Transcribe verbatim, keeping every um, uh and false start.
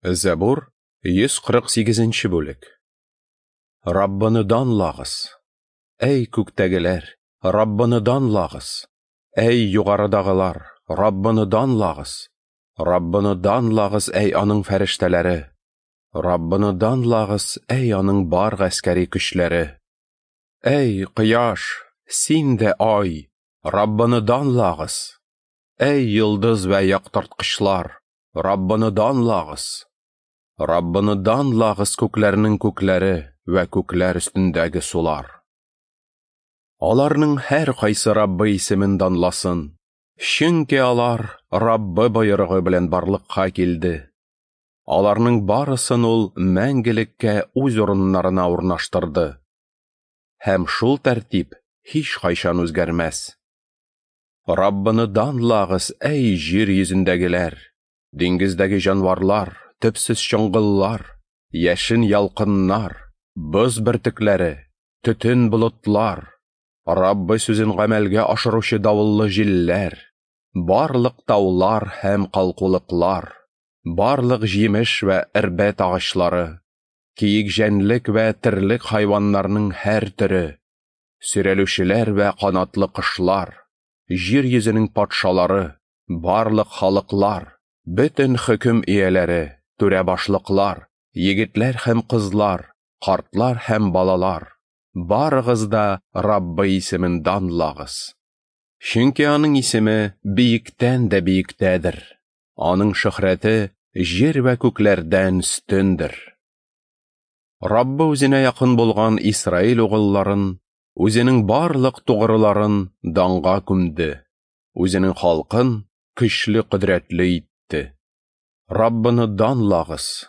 Зәбур, йөз кырык сигезенче бүлек. Раббыны данлагыз! Әй күктәгеләр, Раббыны данлагыз! Әй югарыдагылар, Раббыны данлагыз! Раббыны данлагыз, әй аның фәрештәләре! Раббыны данлагыз, әй аның бар гаскәри көчләре! Әй кояш, син дә ай, Раббыны данлагыз! Әй йолдыз вә яктырткычлар, Раббыны данлагыз! Раббыны данлагыз, күкләрнең күкләре вә күкләр өстендәге сулар. Аларның һәр кайсы Раббы исемен данласын, чөнки алар Раббы боерыгы белән барлыкка килде. Аларның барысын ул мәңгелеккә үз урыннарына урнаштырды. Һәм шул тәртип һич кайчан үзгәрмәс. Раббыны данлагыз, әй җир йөзендәгеләр, диңгездәге җанварлар, төпсез чоңгыллар, яшен ялкыннар, боз бөртекләре, төтен болытлар, Раббы сүзен гамәлгә ашыручы давыллы җилләр, барлык таулар һәм калкулыклар, барлык җимеш вә эрбәт агачлары, киек җәнлек вә терлек хайваннарның һәр төре, сөйрәлүчеләр вә канатлы кошлар, җир йөзенең патшалары, барлык халыклар, бөтен хөкем ияләре, түрә башлыклар, егетләр һәм кызлар, картлар һәм балалар, барыгыз да Раббы исемен данлагыз. Чөнки аның исеме биектән дә биектәдер, аның шөһрәте җир вә күкләрдән өстендер. Раббы үзенә якын булган Исраил угылларын, үзенең барлык тугрыларын данга күмде, үзенең халкын көчле кодрәтле итте. Раббыны данлагыз,